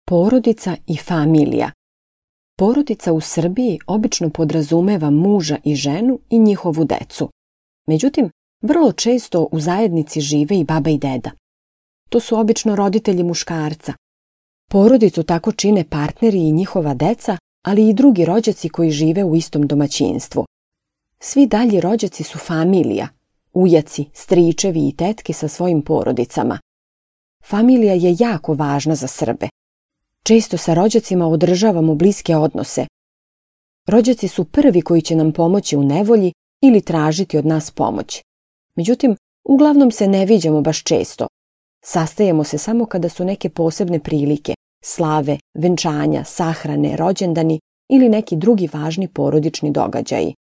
Porodica i familija. Porodica u Srbiji obično podrazumeva muža i ženu i njihovu decu. Međutim, vrlo često u zajednici žive i baba i deda. To su obično roditelji muškarca. Porodicu tako čine partneri i njihova deca, ali i drugi rođaci koji žive u istom domaćinstvu. Svi dalji rođaci su familija, ujaci, stričevi i tetke sa svojim porodicama. Familija je jako važna za Srbe. Često sa rođacima održavamo bliske odnose. Rođaci su prvi koji će nam pomoći u nevolji ili tražiti od nas pomoć. Međutim, uglavnom se ne viđamo baš često. Sastajemo se samo kada su neke posebne prilike, slave, venčanja, sahrane, rođendani ili neki drugi važni porodični događaji.